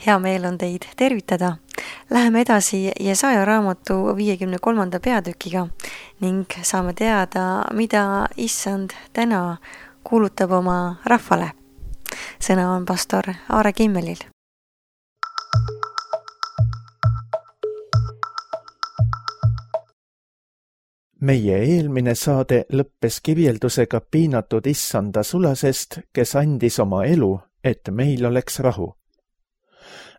Hea meel on teid tervitada. Läheme edasi Jesaja raamatu 53. peatükiga ning saame teada, mida Issand täna kuulutab oma rahvale. Sõna on pastor Aare Kimmelil. Meie eelmine saade lõppes kirjeldusega piinatud Issanda sulasest, kes andis oma elu, et meil oleks rahu.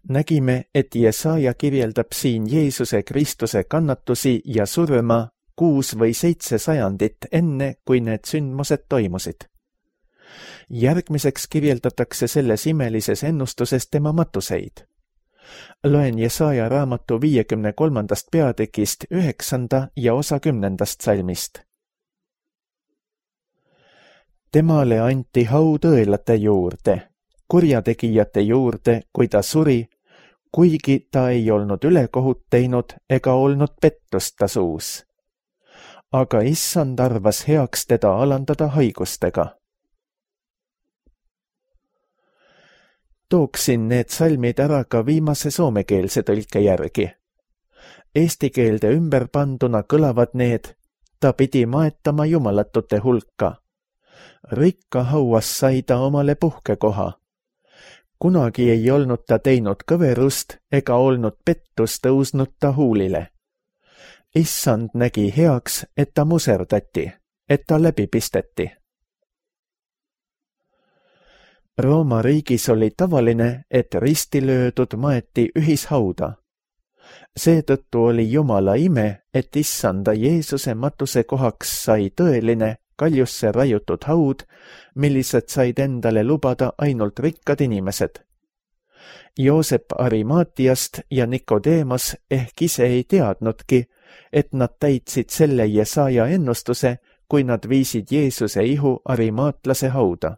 Nägime, et Jesaja kirjeldab siin Jeesuse Kristuse kannatusi ja surma 6 või 7 sajandit enne, kui need sündmused toimusid. Järgmiseks kirjeldatakse selles imelises ennustuses tema matuseid. Loen Jesaja raamatu 53. peatükist 9. ja osa 10. salmist. Temale anti haud õelate juurde, kurjategijate juurde, kui ta suri, kuigi ta ei olnud ülekohut teinud ega olnud pettust ta suus. Aga Issand arvas heaks teda alandada haigustega. Tooksin need salmid ära ka viimase soomekeelse tõlke järgi. Eesti keelde ümber panduna kõlavad need, ta pidi maetama jumalatute hulka. Rikka hauas sai ta omale puhkekoha. Kunagi ei olnud ta teinud kõverust ega olnud pettus tõusnud ta huulile. Issand nägi heaks, et ta muserdati, et ta läbi pisteti. Rooma riigis oli tavaline, et risti löödud maeti ühishauda. Seetõttu oli Jumala ime, et Issanda Jeesuse matuse kohaks sai tõeline, kaljusse raiutud haud, millised said endale lubada ainult rikkad inimesed. Joosep Arimaatiast ja Nikodeemas ehk ise ei teadnudki, et nad täitsid selle Jesaja ennustuse, kui nad viisid Jeesuse ihu arimaatlase hauda.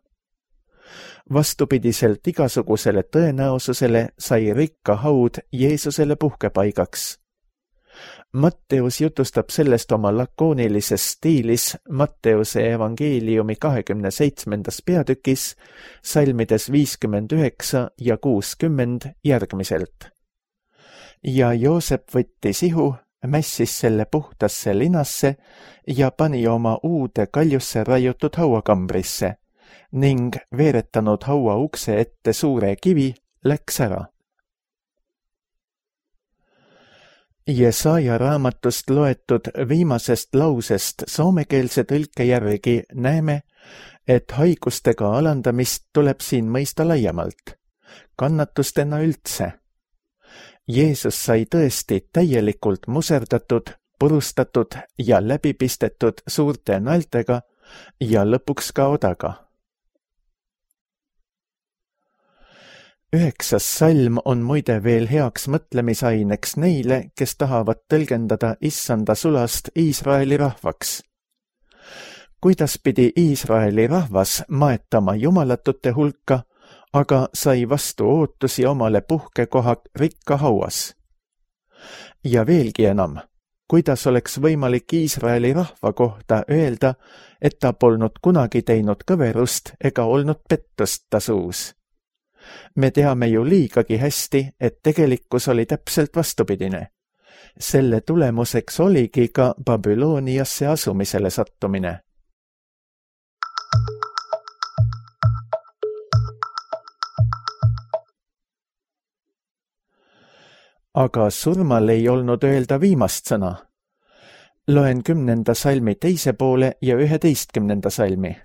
Vastupidiselt igasugusele tõenäosusele sai rikka haud Jeesusele puhkepaigaks. Matteus jutustab sellest oma lakoonilises stiilis Matteuse evangeeliumi 27. peatükis, salmides 59 ja 60 järgmiselt. Ja Joosep võttis ihu, mässis selle puhtasse linasse ja pani oma uude kaljusse raiutud hauakambrisse ning veeretanud haua ukse ette suure kivi, läks ära. Jesaja raamatust loetud viimasest lausest soomekeelse tõlke järgi näeme, et haigustega alandamist tuleb siin mõista laiemalt, kannatustena üldse. Jeesus sai tõesti täielikult muserdatud, purustatud ja läbipistetud suurte naeltega ja lõpuks ka odaga. 9. salm on muide veel heaks mõtlemisaineks neile, kes tahavad tõlgendada Issanda sulast Iisraeli rahvaks. Kuidas pidi Iisraeli rahvas maetama jumalatute hulka, aga sai vastu ootusi omale puhkekoha rikka hauas? Ja veelgi enam, kuidas oleks võimalik Iisraeli rahva kohta öelda, et ta polnud kunagi teinud kõverust ega olnud pettust ta suus? Me teame ju liigagi hästi, et tegelikkus oli täpselt vastupidine. Selle tulemuseks oligi ka Babyloniasse asumisele sattumine. Aga surmal ei olnud öelda viimast sõna. Loen 10. salmi teise poole ja 11. salmi.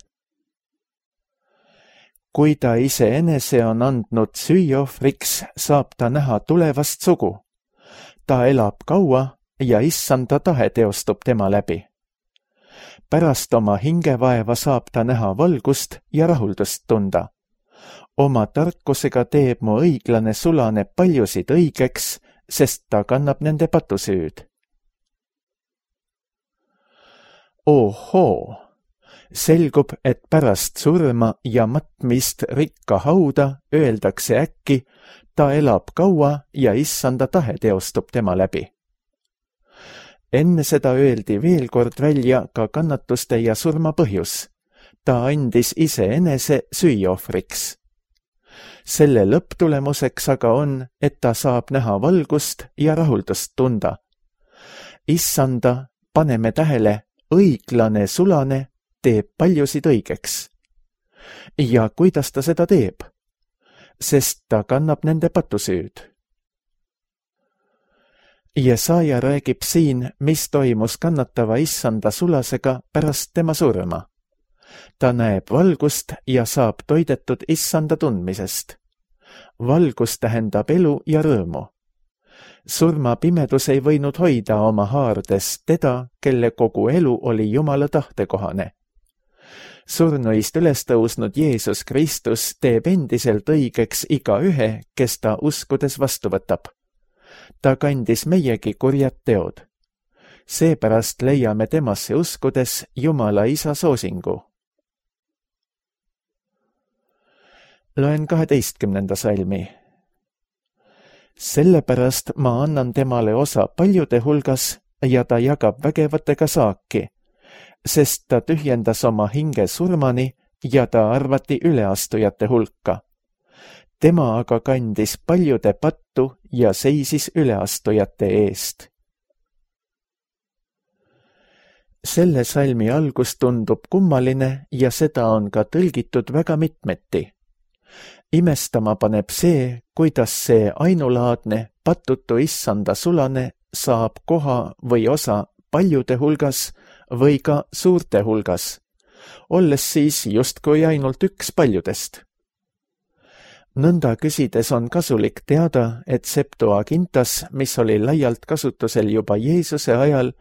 Kui ta iseenese on andnud süüohvriks, saab ta näha tulevast sugu. Ta elab kaua ja Issanda tahe teostub tema läbi. Pärast oma hingevaeva saab ta näha valgust ja rahuldust tunda. Oma tarkusega teeb mu õiglane sulane paljusid õigeks, sest ta kannab nende patusüüd. Ohoo! Selgub, et pärast surma ja matmist rikka hauda öeldakse äkki, ta elab kaua ja Issanda tahe teostub tema läbi. Enne seda öeldi veel kord välja ka kannatuste ja surma põhjus. Ta andis iseenese süüohvriks. Selle lõpptulemuseks aga on, et ta saab näha valgust ja rahuldust tunda. Issanda, paneme tähele, õiglane sulane teeb paljusid õigeks. Ja kuidas ta seda teeb? Sest ta kannab nende patusüüd. Jesaja räägib siin, mis toimus kannatava issanda sulasega pärast tema surma. Ta näeb valgust ja saab toidetud issanda tundmisest. Valgus tähendab elu ja rõõmu. Surma pimedus ei võinud hoida oma haardes teda, kelle kogu elu oli Jumala tahtekohane. Surnuist üles tõusnud Jeesus Kristus teeb endiselt õigeks igaühe, kes ta uskudes vastu võtab. Ta kandis meiegi kurjad teod. Seepärast leiame temasse uskudes Jumala Isa soosingu. Loen 12. salmi. Sellepärast ma annan temale osa paljude hulgas ja ta jagab vägevatega saaki, sest ta tühjendas oma hinge surmani ja ta arvati üleastujate hulka. Tema aga kandis paljude pattu ja seisis üleastujate eest. Selle salmi algus tundub kummaline ja seda on ka tõlgitud väga mitmeti. Imestama paneb see, kuidas see ainulaadne, patutu issanda sulane saab koha või osa paljude hulgas või ka suurte hulgas, olles siis justkui ainult üks paljudest. Nõnda küsides on kasulik teada, et Septuagintas, mis oli laialt kasutusel juba Jeesuse ajal,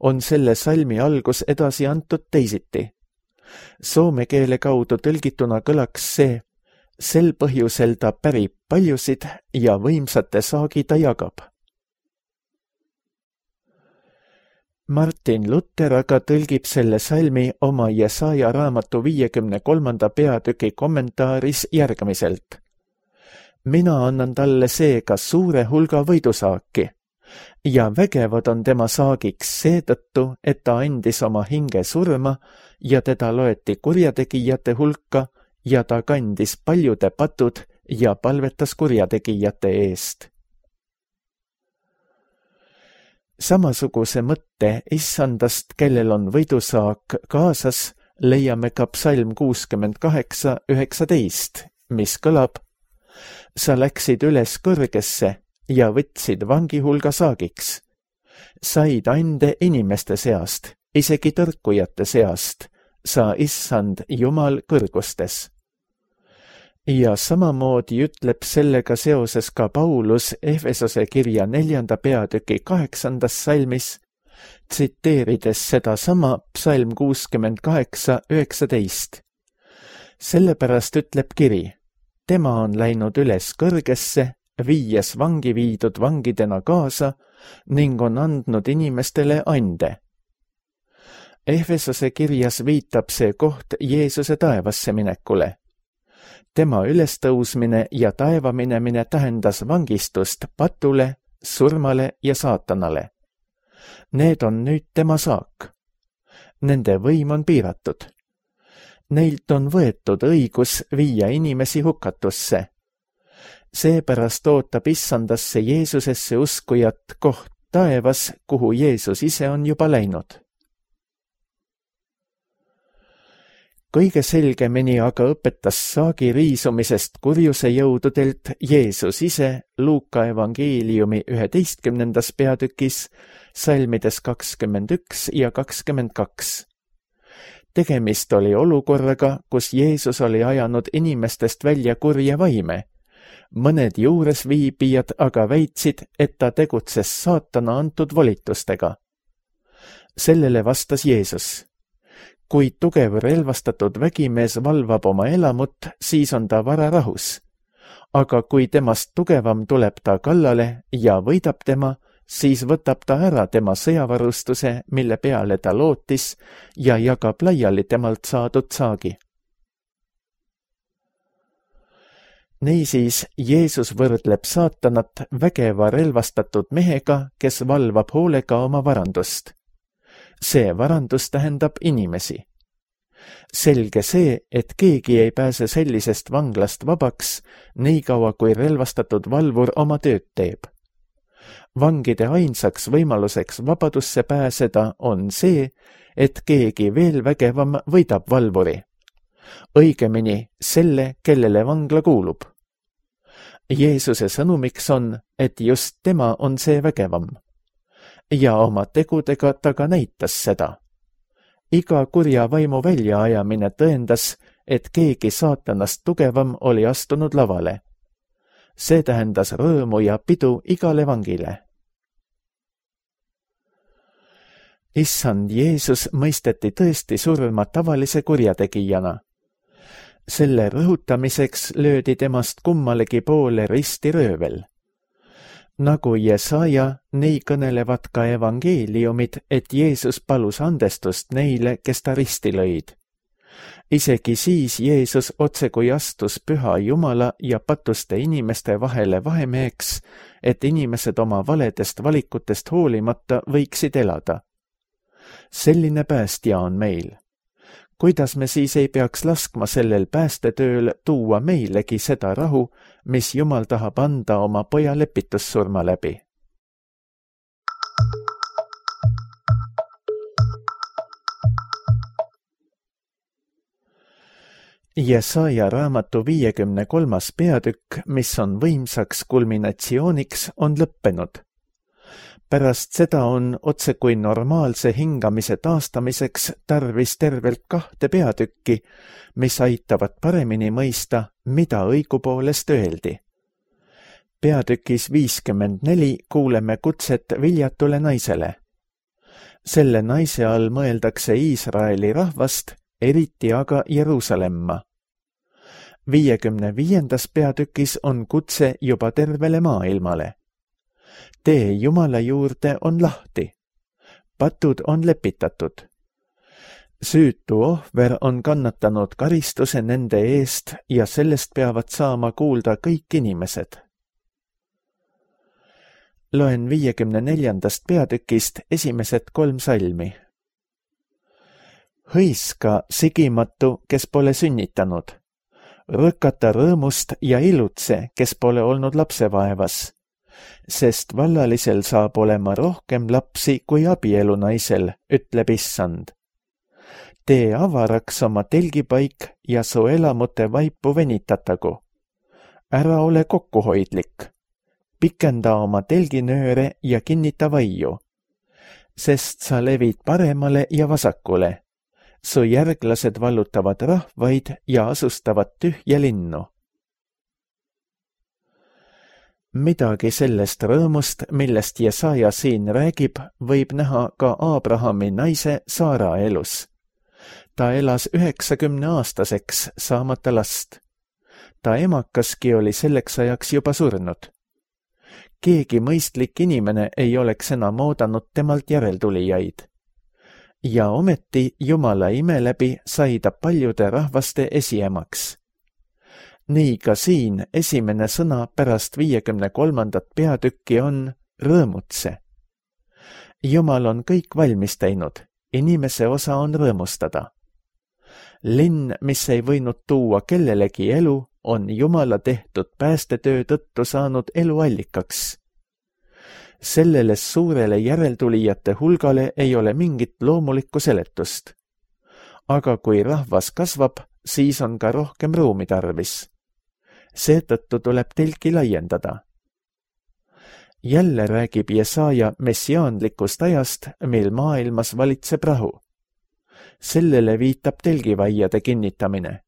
on selle salmi algus edasi antud teisiti. Soome keele kaudu tõlgituna kõlaks see: sel põhjusel ta pärib paljusid ja võimsate saagi ta jagab. Martin Luther aga tõlgib selle salmi oma Jesaja raamatu 53. peatüki kommentaaris järgmiselt. Mina annan talle seega suure hulga võidusaaki ja vägevad on tema saagiks seetõttu, et ta andis oma hinge surma ja teda loeti kurjategijate hulka ja ta kandis paljude patud ja palvetas kurjategijate eest. Samasuguse mõtte issandast, kellel on võidusaak kaasas, leiame ka psalm 68:19, mis kõlab: sa läksid üles kõrgesse ja võtsid vangi hulga saagiks. Said ande inimeste seast, isegi tõrkujate seast, sa issand Jumal kõrgustes. Ja samamoodi ütleb sellega seoses ka Paulus Efesose kirja 4. peatüki 8. salmis, tsiteerides sedasama psalm 68:19. Sellepärast ütleb kiri: tema on läinud üles kõrgesse, viies vangi viidud vangidena kaasa ning on andnud inimestele ande. Efesose kirjas viitab see koht Jeesuse taevasse minekule. Tema ülestõusmine ja taeva minemine tähendas vangistust patule, surmale ja saatanale. Need on nüüd tema saak. Nende võim on piiratud. Neilt on võetud õigus viia inimesi hukatusse. Seepärast ootab issandasse Jeesusesse uskujat koht taevas, kuhu Jeesus ise on juba läinud. Kõige selgemini aga õpetas saagi riisumisest kurjuse jõududelt Jeesus ise Luuka evangeeliumi 11. peatükis, salmides 21 ja 22. Tegemist oli olukorraga, kus Jeesus oli ajanud inimestest välja kurja vaime. Mõned juuresviibijad aga väitsid, et ta tegutses saatana antud volitustega. Sellele vastas Jeesus: kui tugev relvastatud vägimees valvab oma elamut, siis on ta vararahus. Aga kui temast tugevam tuleb ta kallale ja võidab tema, siis võtab ta ära tema sõjavarustuse, mille peale ta lootis, ja jagab laiali temalt saadud saagi. Niisiis, Jeesus võrdleb saatanat vägeva relvastatud mehega, kes valvab hoolega oma varandust. See varandus tähendab inimesi. Selge see, et keegi ei pääse sellisest vanglast vabaks, nii kaua kui relvastatud valvur oma tööd teeb. Vangide ainsaks võimaluseks vabadusse pääseda on see, et keegi veel vägevam võidab valvuri. Õigemini selle, kellele vangla kuulub. Jeesuse sõnumiks on, et just tema on see vägevam. Ja oma tegudega ta ka näitas seda. Iga kurja vaimu väljaajamine tõendas, et keegi saatanast tugevam oli astunud lavale. See tähendas rõõmu ja pidu igale vangile. Issand Jeesus mõisteti tõesti surma tavalise kurjategijana. Selle rõhutamiseks löödi temast kummalegi poole ristiröövel. Nagu Jesaja, nii kõnelevad ka evangeeliumid, et Jeesus palus andestust neile, kes ta risti lõid. Isegi siis Jeesus otsekui astus püha Jumala ja patuste inimeste vahele vahemeheks, et inimesed oma valedest valikutest hoolimata võiksid elada. Selline päästja on meil. Kuidas me siis ei peaks laskma sellel päästetööl tuua meilegi seda rahu, mis Jumal tahab anda oma poja lepitussurma läbi? Jesaja raamatu 53. peatükk, mis on võimsaks kulminatsiooniks, on lõppenud. Pärast seda on otsekui normaalse hingamise taastamiseks tarvis tervelt 2 peatükki, mis aitavad paremini mõista, mida õigupoolest öeldi. Peatükis 54 kuuleme kutset viljatule naisele. Selle naise all mõeldakse Iisraeli rahvast, eriti aga Jeruusalemma. 55. peatükis on kutse juba tervele maailmale. Tee Jumala juurde on lahti. Patud on lepitatud. Süütu ohver on kannatanud karistuse nende eest ja sellest peavad saama kuulda kõik inimesed. Loen 54. peatükist esimesed 3 salmi. Hõiska sigimatu, kes pole sünnitanud. Rõkata rõõmust ja ilutse, kes pole olnud lapsevaevas. Sest vallalisel saab olema rohkem lapsi kui abielunaisel, ütleb Issand. Tee avaraks oma telgipaik ja su elamute vaipu venitatagu. Ära ole kokkuhoidlik. Pikenda oma telginööre ja kinnita vaiu. Sest sa levid paremale ja vasakule. Su järglased vallutavad rahvaid ja asustavad tühja linnu. Midagi sellest rõõmust, millest Jesaja siin räägib, võib näha ka Abrahami naise Saara elus. Ta elas 90-aastaseks saamata last. Ta emakaski oli selleks ajaks juba surnud. Keegi mõistlik inimene ei oleks enam oodanud temalt järeltulijaid. Ja ometi Jumala ime läbi sai ta paljude rahvaste esiemaks. Nii ka siin esimene sõna pärast 53. peatükki on rõõmutse. Jumal on kõik valmis teinud, inimese osa on rõõmustada. Linn, mis ei võinud tuua kellelegi elu, on Jumala tehtud päästetöö tõttu saanud eluallikaks. Sellele suurele järeltulijate hulgale ei ole mingit loomulikku seletust. Aga kui rahvas kasvab, siis on ka rohkem ruumi tarvis. Seetõttu tuleb telki laiendada. Jälle räägib Jesaja messiaanlikust ajast, mil maailmas valitseb rahu. Sellele viitab telgivaiade kinnitamine.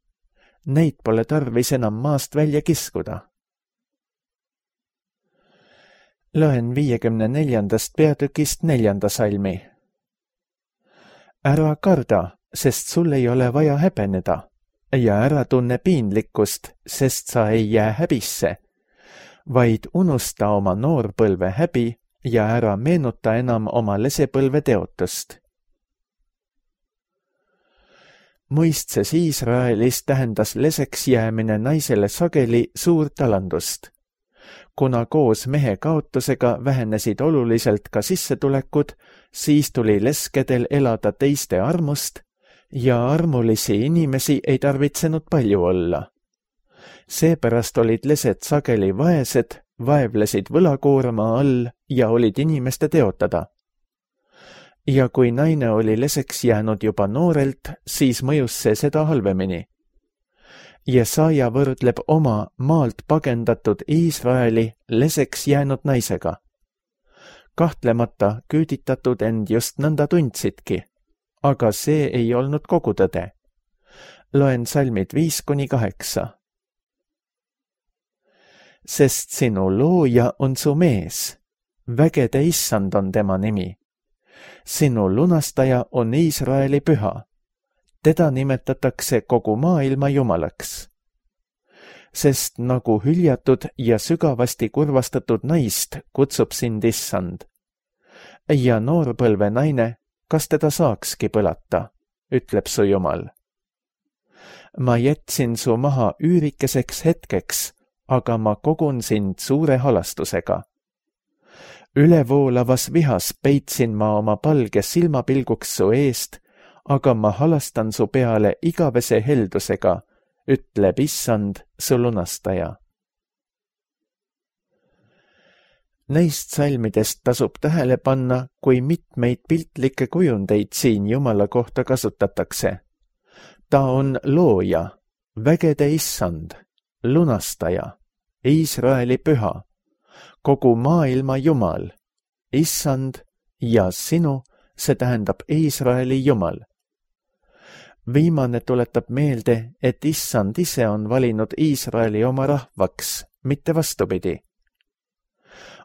Neid pole tarvis enam maast välja kiskuda. Loen 54. peatükist 4. salmi. Ära karda, sest sul ei ole vaja häbeneda. Ja ära tunne piinlikkust, sest sa ei jää häbisse, vaid unusta oma noorpõlve häbi ja ära meenuta enam oma lesepõlve teotust. Mõistses Iisraelis tähendas leseks jäämine naisele sageli suurt alandust. Kuna koos mehe kaotusega vähenesid oluliselt ka sissetulekud, siis tuli leskedel elada teiste armust ja armulisi inimesi ei tarvitsenud palju olla. Seepärast olid lesed sageli vaesed, vaevlesid võlakoorma all ja olid inimeste teotada. Ja kui naine oli leseks jäänud juba noorelt, siis mõjus see seda halvemini. Jesaja võrdleb oma maalt pagendatud Iisraeli leseks jäänud naisega. Kahtlemata küüditatud end just nõnda tundsidki, aga see ei olnud kogu tõde. Loen salmid 5-8. Sest sinu looja on su mees, vägede issand on tema nimi. Sinu lunastaja on Iisraeli püha. Teda nimetatakse kogu maailma jumalaks. Sest nagu hüljatud ja sügavasti kurvastatud naist kutsub sind issand. Ja noorpõlve naine, kas teda saakski põlata, ütleb su Jumal. Ma jätsin su maha üürikeseks hetkeks, aga ma kogun sind suure halastusega. Ülevoolavas vihas peitsin ma oma palge silmapilguks su eest, aga ma halastan su peale igavese heldusega, ütleb issand, su lunastaja. Neist salmidest tasub tähele panna, kui mitmeid piltlikke kujundeid siin Jumala kohta kasutatakse. Ta on looja, vägede issand, lunastaja, Iisraeli püha, kogu maailma Jumal, issand ja sinu, see tähendab Iisraeli Jumal. Viimane tuletab meelde, et issand ise on valinud Iisraeli oma rahvaks, mitte vastupidi.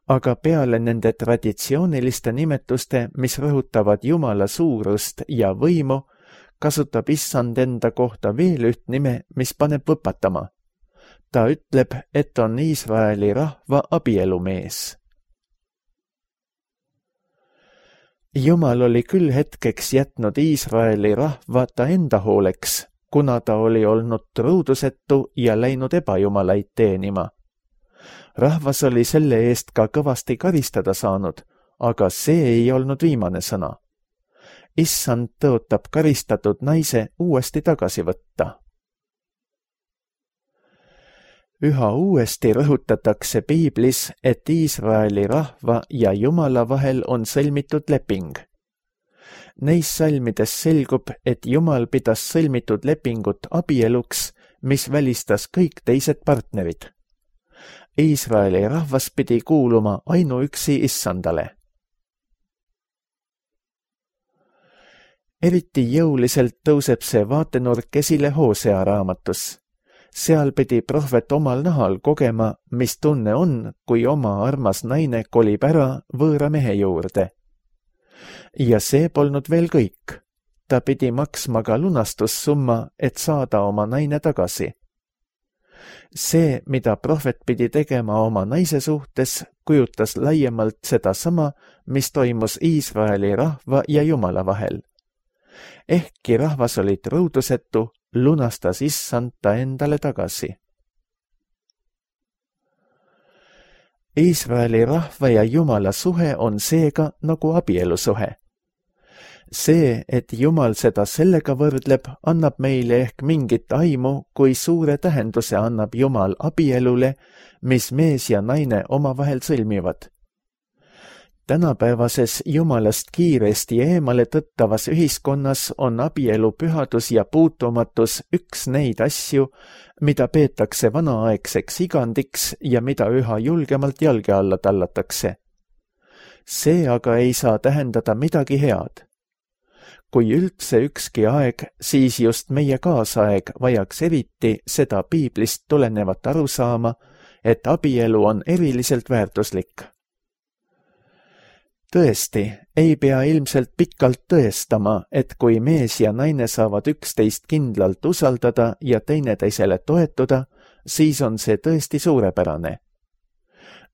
Aga peale nende traditsiooniliste nimetuste, mis rõhutavad Jumala suurust ja võimu, kasutab issand enda kohta veel üht nime, mis paneb võpatama. Ta ütleb, et on Iisraeli rahva abielumees. Jumal oli küll hetkeks jätnud Iisraeli rahva ta enda hooleks, kuna ta oli olnud truudusetu ja läinud ebajumalaid teenima. Rahvas oli selle eest ka kõvasti karistada saanud, aga see ei olnud viimane sõna. Issand tõotab karistatud naise uuesti tagasi võtta. Üha uuesti rõhutatakse Piiblis, et Iisraeli rahva ja Jumala vahel on sõlmitud leping. Neis salmides selgub, et Jumal pidas sõlmitud lepingut abieluks, mis välistas kõik teised partnerid. Iisraeli rahvas pidi kuuluma ainuüksi issandale. Eriti jõuliselt tõuseb see vaatenurk esile Hosea raamatus. Seal pidi prohvet omal nahal kogema, mis tunne on, kui oma armas naine kolib ära võõra mehe juurde. Ja see polnud veel kõik. Ta pidi maksma ka lunastussumma, et saada oma naine tagasi. See, mida prohvet pidi tegema oma naise suhtes, kujutas laiemalt seda sama, mis toimus Iisraeli rahva ja Jumala vahel. Ehkki rahvas oli truudusetu, lunastas issand ta endale tagasi. Iisraeli rahva ja Jumala suhe on seega nagu abielusuhe. See, et Jumal seda sellega võrdleb, annab meile ehk mingit aimu, kui suure tähenduse annab Jumal abielule, mis mees ja naine omavahel sõlmivad. Tänapäevases Jumalast kiiresti eemale tõttavas ühiskonnas on abielu pühadus ja puutumatus üks neid asju, mida peetakse vanaaegseks igandiks ja mida üha julgemalt jalge alla tallatakse. See aga ei saa tähendada midagi head. Kui üldse ükski aeg, siis just meie kaasaeg vajaks eriti seda Piiblist tulenevat arusaama, et abielu on eriliselt väärtuslik. Tõesti, ei pea ilmselt pikalt tõestama, et kui mees ja naine saavad üksteist kindlalt usaldada ja teineteisele toetuda, siis on see tõesti suurepärane.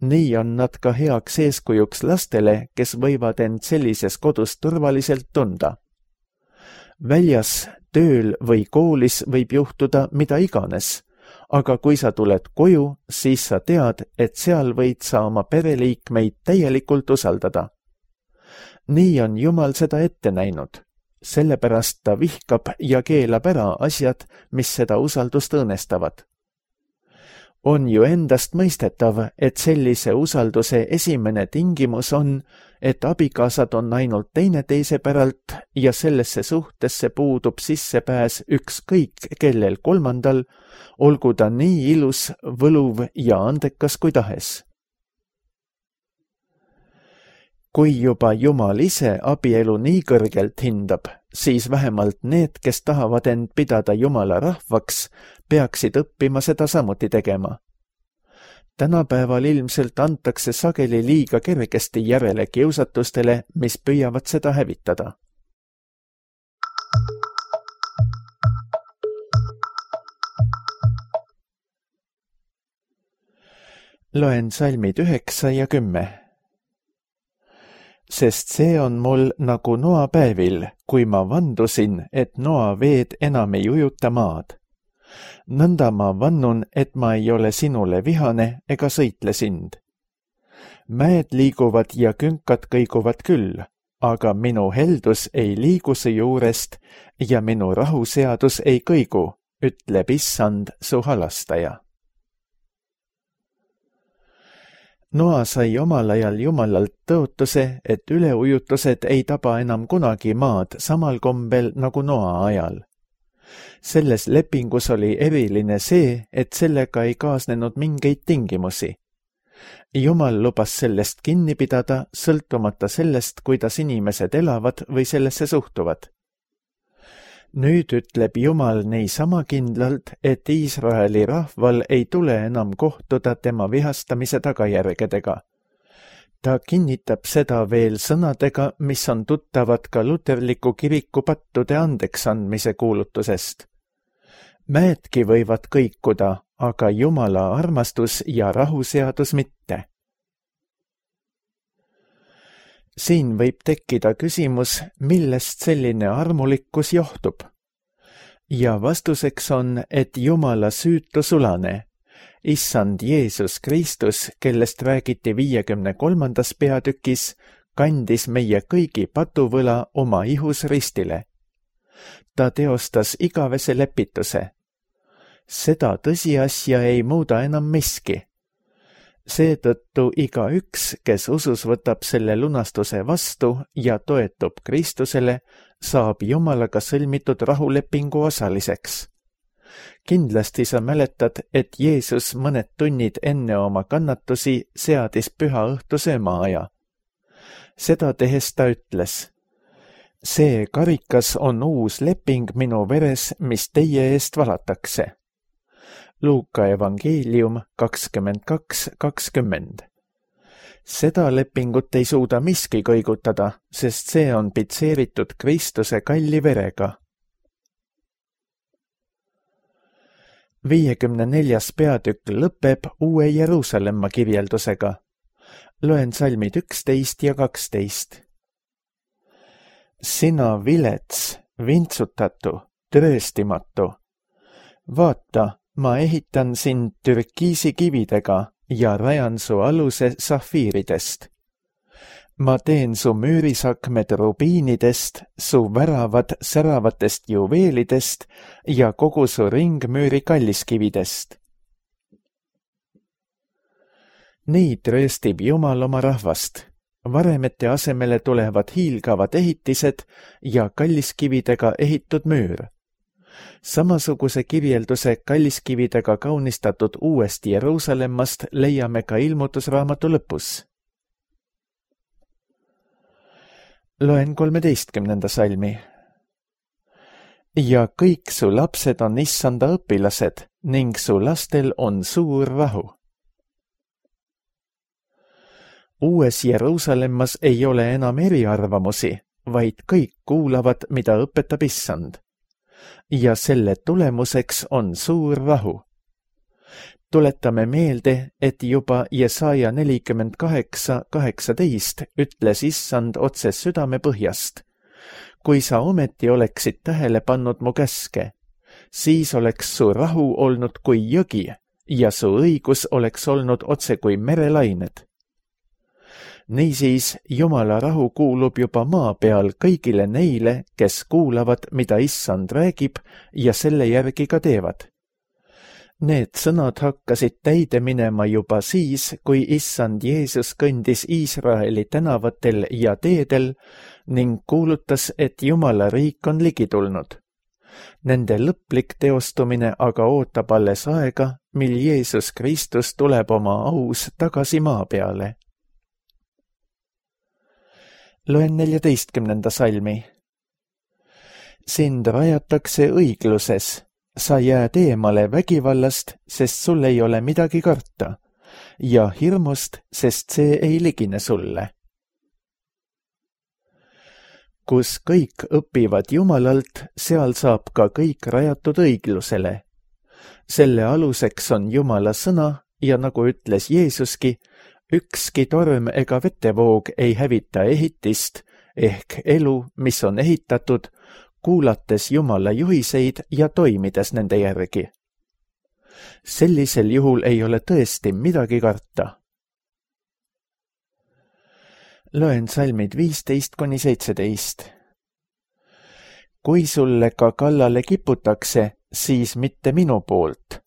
Nii on nad ka heaks eeskujuks lastele, kes võivad end sellises kodus turvaliselt tunda. Väljas, tööl või koolis võib juhtuda mida iganes, aga kui sa tuled koju, siis sa tead, et seal võid sa oma pereliikmeid täielikult usaldada. Nii on Jumal seda ette näinud sellepärast ta vihkab ja keelab ära asjad, mis seda usaldust õõnestavad. On ju endast mõistetav, et sellise usalduse esimene tingimus on, et abikaasad on ainult teineteise päralt ja sellesse suhtesse puudub sissepääs ükskõik kellel kolmandal, olgu ta nii ilus, võluv ja andekas kui tahes. Kui juba Jumal ise abielu nii kõrgelt hindab, siis vähemalt need, kes tahavad end pidada Jumala rahvaks, peaksid õppima seda samuti tegema. Tänapäeval ilmselt antakse sageli liiga kergesti järele kiusatustele, mis püüavad seda hävitada. Loen salmid 9 ja 10. Sest see on mul nagu Noa päevil, kui ma vandusin, et Noa veed enam ei ujuta maad. Nõnda ma vannun, et ma ei ole sinule vihane ega sõitle sind. Mäed liiguvad ja künkad kõiguvad küll, aga minu heldus ei liigu su juurest ja minu rahuseadus ei kõigu, ütleb Issand, su halastaja. Noa sai omal ajal Jumalalt tõotuse, et üleujutused ei taba enam kunagi maad samal kombel nagu Noa ajal. Selles lepingus oli eriline see, et sellega ei kaasnenud mingeid tingimusi. Jumal lubas sellest kinni pidada, sõltumata sellest, kuidas inimesed elavad või sellesse suhtuvad. Nüüd ütleb Jumal niisama kindlalt, et Iisraeli rahval ei tule enam kohtuda tema vihastamise tagajärgedega. Ta kinnitab seda veel sõnadega, mis on tuttavad ka luterliku kiriku pattude andeksandmise kuulutusest. Mäedki võivad kõikuda, aga Jumala armastus ja rahuseadus mitte. Siin võib tekkida küsimus, millest selline armulikkus johtub. Ja vastuseks on, et Jumala süütu sulane, Issand Jeesus Kristus, kellest räägiti 53. peatükis, kandis meie kõigi patuvõla oma ihus ristile. Ta teostas igavese lepituse. Seda tõsiasja ei muuda enam miski. Seetõttu igaüks, kes usus võtab selle lunastuse vastu ja toetub Kristusele, saab Jumalaga sõlmitud rahulepingu osaliseks. Kindlasti sa mäletad, et Jeesus mõned tunnid enne oma kannatusi seadis püha õhtu söömaaja. Seda tehes ta ütles: see karikas on uus leping minu veres, mis teie eest valatakse. Luuka evangeelium 22:20. Seda lepingut ei suuda miski kõigutada, sest see on pitseeritud Kristuse kalli verega. 54. peatükk lõpeb Uue Jeruusalemma kirjeldusega. Loen salmid 11 ja 12. Sina vilets, vintsutatu, trööstimatu. Vaata, ma ehitan sind türkiisi kividega ja rajan su aluse safiiridest. Ma teen su müürisakmed rubiinidest, su väravad säravatest juveelidest ja kogu su ringmüüri kalliskividest. Nii trööstib Jumal oma rahvast. Varemete asemele tulevad hiilgavad ehitised ja kalliskividega ehitud müür. Samasuguse kirjelduse kalliskividega kaunistatud uuest Jeruusalemmast leiame ka ilmutusraamatu lõpus. Loen 13. salmi. Ja kõik su lapsed on Issanda õpilased ning su lastel on suur rahu. Uues Jeruusalemmas ei ole enam eriarvamusi, vaid kõik kuulavad, mida õpetab Issand. Ja selle tulemuseks on suur rahu. Tuletame meelde, et juba Jesaja 48:18 ütles Issand otse südame põhjast. Kui sa ometi oleksid tähele pannud mu käske, siis oleks su rahu olnud kui jõgi ja su õigus oleks olnud otse kui merelained. Niisiis, Jumala rahu kuulub juba maa peal kõigile neile, kes kuulavad, mida Issand räägib ja selle järgi ka teevad. Need sõnad hakkasid täide minema juba siis, kui Issand Jeesus kõndis Iisraeli tänavatel ja teedel ning kuulutas, et Jumala riik on ligi tulnud. Nende lõplik teostumine aga ootab alles aega, mil Jeesus Kristus tuleb oma aus tagasi maa peale. Loen 14. salmi. Sind rajatakse õigluses, sa jääd eemale vägivallast, sest sul ei ole midagi karta, ja hirmust, sest see ei ligine sulle. Kus kõik õpivad Jumalalt, seal saab ka kõik rajatud õiglusele. Selle aluseks on Jumala sõna ja nagu ütles Jeesuski, ükski torm ega vetevoog ei hävita ehitist ehk elu, mis on ehitatud, kuulates Jumala juhiseid ja toimides nende järgi. Sellisel juhul ei ole tõesti midagi karta. Loen salmid 15-17. Kui sulle ka kallale kiputakse, siis mitte minu poolt.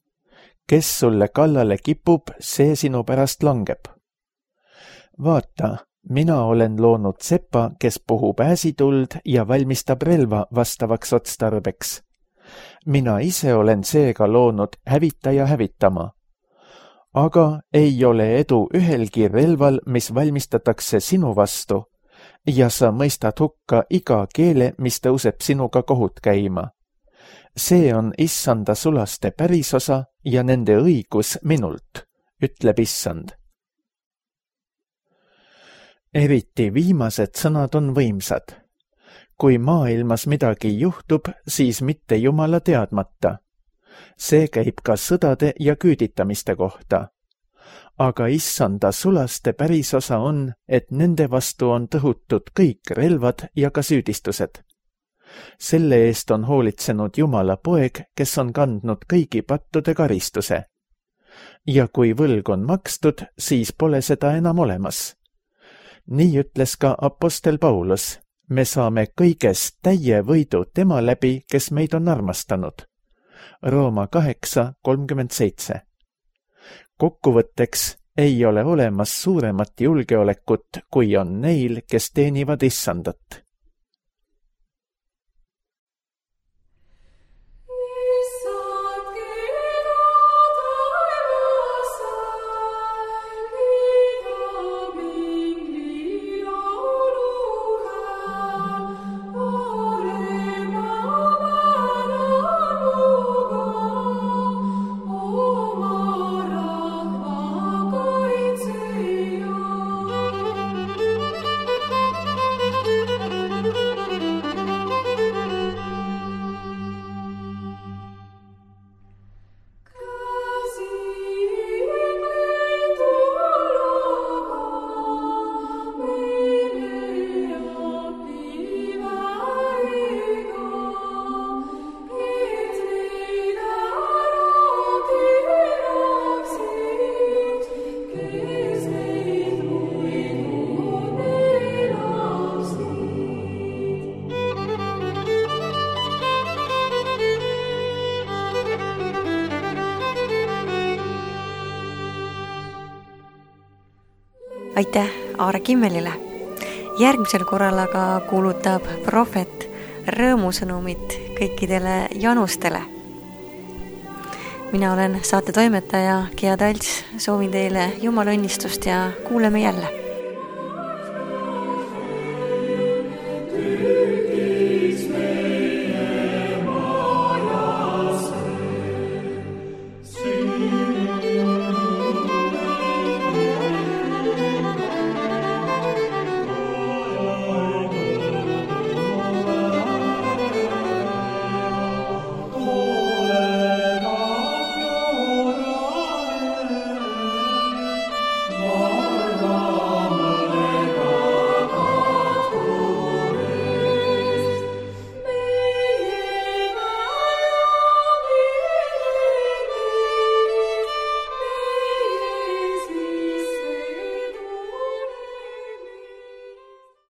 Kes sulle kallale kipub, see sinu pärast langeb. Vaata, mina olen loonud sepa, kes puhub ääsituld ja valmistab relva vastavaks otstarbeks. Mina ise olen seega loonud hävitaja hävitama. Aga ei ole edu ühelgi relval, mis valmistatakse sinu vastu, ja sa mõistad hukka iga keele, mis tõuseb sinuga kohut käima. See on Issanda sulaste pärisosa ja nende õigus minult, ütleb Issand. Eriti viimased sõnad on võimsad. Kui maailmas midagi juhtub, siis mitte Jumala teadmata. See käib ka sõdade ja küüditamiste kohta. Aga Issanda sulaste pärisosa on, et nende vastu on tõhutud kõik relvad ja ka süüdistused. Selle eest on hoolitsenud Jumala poeg, kes on kandnud kõigi pattude karistuse. Ja kui võlg on makstud, siis pole seda enam olemas. Nii ütles ka apostel Paulus, me saame kõigest täie võidu tema läbi, kes meid on armastanud. Rooma 8:37. Kokkuvõtteks ei ole olemas suuremat julgeolekut, kui on neil, kes teenivad Issandat. Aitäh Aare Kimmelile. Järgmisel korral aga kuulutab prohvet rõõmusõnumit kõikidele janustele. Mina olen saate toimetaja Gea Talts, soovin teile Jumala õnnistust ja kuuleme jälle.